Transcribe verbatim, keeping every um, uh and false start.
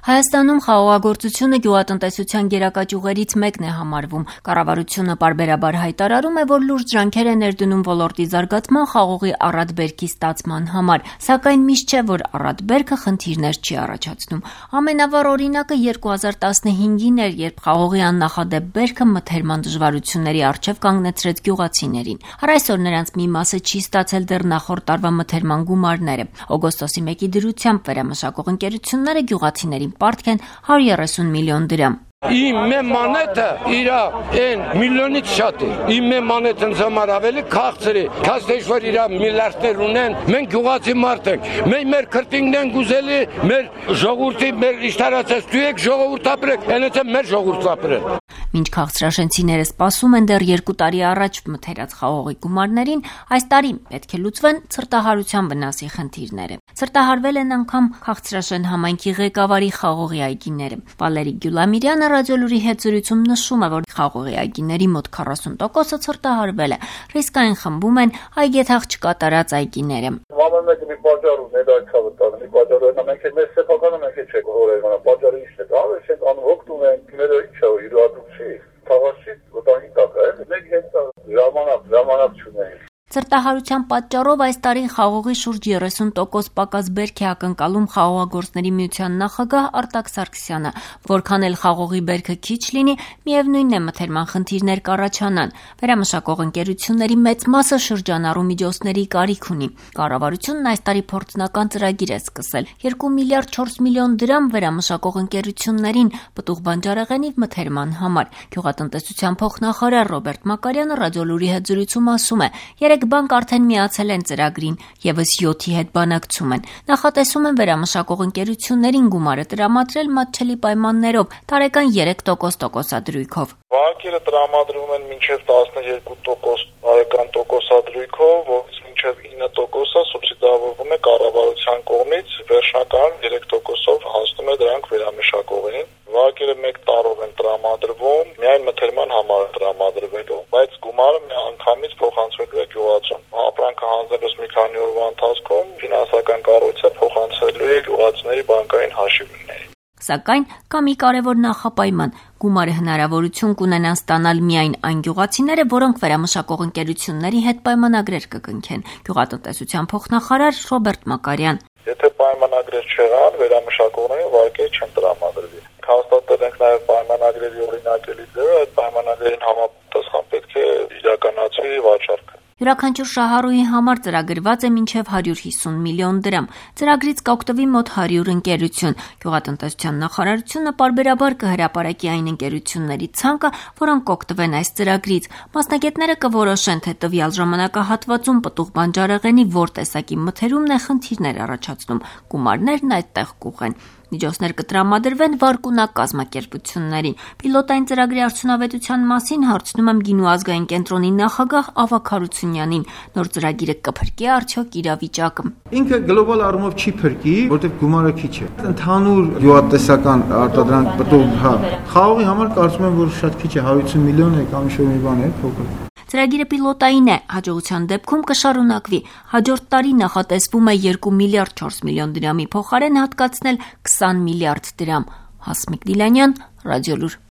Հայաստանում խաղողագործությունը գյուղատնտեսության գերակա ճյուղերից մեկն է համարվում։ Կառավարությունը պարբերաբար հայտարարում է, որ լուրջ ջանքեր է ներդնում ոլորտի զարգացման խաղողի առատ բերքի ստացման համար, սակայն միշտ չէ, որ առատ բերքը խնդիրներ չի առաջացնում։ Ամենավառ օրինակը երկու հազար տասնհինգին էր, երբ խաղողի աննախադեպ բերքը մթերման դժվարությունների առջև կանգնեցրեց գյուղացիներին։ Առ այսօր նրանց մի մասը չի ստացել դեռ նախորդ տարվա մթերման գումարները։ Օգոստոսի մեկի դրությամբ վերամշակող ընկերությունները գյուղացիներին պարտք են հարյուր երեսուն միլիոն դրամ։ Իմ մե մանետը իրա են միլիոնից շատ է, իմ մե մանետն զամար ավելի քաղցր է, կաստեշ որ իրա միլիարդներ ունեն, մենք գյուղացի մարդ ենք, մենք մեր քրտինքն են գուզելի, մեր ժողովրդի, մեր իշտարացած դու եք ժողովուրդ ապրեք, այնպես է մեր ժողովուրդ ապրեն։ Մինչ քաղցրաշենցիները սպասում են դեռ երկու տարի առաջ մթերած խաղողի գումարներին, այս տարի պետք է լուծվեն ցրտահարության վնասի խնդիրները։ Ցրտահարվել են անգամ քաղցրաշեն համայնքի ղեկավարի խաղողի այգիները։ Վալերի Գյուլամիրյանը ռադիոլուրի հետ զրույցում նշում է, որ խաղողի այգիների մոտ քառասուն տոկոսը ցրտահարվել է։ Ռիսկային խմբում են այգեթաղ չկատարած այգիները։ Ամեն մեկը մի պատճառ ունի, դա չավը տանը, մի պատճառ ունի, մենք մեր սեփականը մենք չենք հորեղանա, պատճառը ինչ է, դա ենք անհոգ ունենք, մերը ինչ է, իրադարձի, թաղաշի, վտանգի տակ է, մենք հենց ժամանակ, ժամանակ չունենք։ Ցրտահարության պատճառով այս տարի խաղողի շուրջ երեսուն տոկոս պակաս բերք է ակնկալում խաղողագործների միության նախագահ Արտակ Սարգսյանը, որքան էլ խաղողի բերքը քիչ լինի, միևնույնն է մթերման խնդիրներ կառաջանան։ Վերամշակող ընկերությունների մեծ մասը շրջանառու միջոցների կարիք ունի։ Կառավարությունն այս տարի փորձնական ծրագիր է սկսել՝ երկու միլիարդ չորս միլիոն դրամ վերամշակող ընկերություններին պտուղ բանջարեղենի մթերման համար։ Գյուղատնտեսության փոխնախարար Ռոբերտ Մակարյանը ռադիոլուրի հետ զրույցում ասում է, երեք բանկ արդեն միացել են ծրագրին, եւս յոթի հետ բանակցում են։ Նախատեսում են վերամշակող ընկերություններին գումարը տրամադրել մատչելի պայմաններով, տարեկան երեք տոկոս տոկոսադրույքով։ Բանկերը տրամադրում են մինչև տասնյոթ տոկոս տարեկան տոկոսադրույքով, որից մինչև ինը տոկոսը սուբսիդավորվում է կառավարության կողմից, վերջնական երեք տոկոսով հասնում է դրանք վերամշակողին։ Վարկերը մեկ տարով են տրամադրվում, միայն մթերման համար է տրամադրվելու, բայց գումարը մի անգամից փոխանցվելու է գյուղացուն։ Ապրանքը հանձնելուց մի քանի օրվա ընթացքում ֆինանսական կառույցը փոխանցելու է գյուղացիների բանկային հաշիվներին։ Սակայն կա մի կարևոր նախապայման՝ գումարը հնարավորություն կունենան ստանալ միայն այն գյուղացիները, որոնք վերամշակող ընկերությունների հետ պայմանագրեր կկնքեն։ Գյուղատնտեսության փոխնախարար Ռոբերտ Մակարյան։ Եթե պայմանագրեր չեղան, վերամշակողներին վարկեր չեն տրամադրվի։ Հաստատել ենք նաև պայմանագրերի օրինակելի ձևը, այդ պայմանագրերին համապատասխան պետք է իրականացվի վաճառքը։ Յուրաքանչյուր շահառուի համար ծրագրված է մինչև հարյուր հիսուն միլիոն դրամ։ Ծրագրից կօգտվի մոտ հարյուր ընկերություն։ Գյուղատնտեսության նախարարությունը պարբերաբար կհրապարակի այն ընկերությունների ցանկը, որոնք կօգտվեն այս ծրագրից։ Մասնագետները կորոշեն, թե տվյալ ժամանակահատվածում պտուղ բանջարեղենի որ տեսակի մթերումն է խնդիրներ առաջացնում։ Գումարներն այդտեղ կուղեն։ Միջոցներ կտրամադրվեն վարկունակ կազմակերպություններին։ Պիլոտային ծրագրի արդյունավետության մասին հարցնում եմ Գինու ազգային կենտրոնի նախագահ Ավագ Հարությունյանին։ Նոր ծրագիրը կփրկի արդյոք իրավիճակը։ Ինքը գլոբալ առումով չի փրկի, որտեղ գումարը քիչ է։ Ընդհանուր գյուղատնտեսական արտադրանք պտուղ, հա, խաղողի համար կարծում եմ, որ շատ քիչ է, հարյուր հիսուն միլիոն է կամ ինչ-որ մի բան է, փոքր։ Ծրագիրը պիլոտային է, հաջողության դեպքում կշարունակվի։ Հաջորդ տարի նախատեսվում է երկու միլիարդ չորս միլիոն դրամի փոխարեն հատկացնել քսան միլիարդ դրամ։ Հասմիկ Դիլանյան, Ռադիոլուր։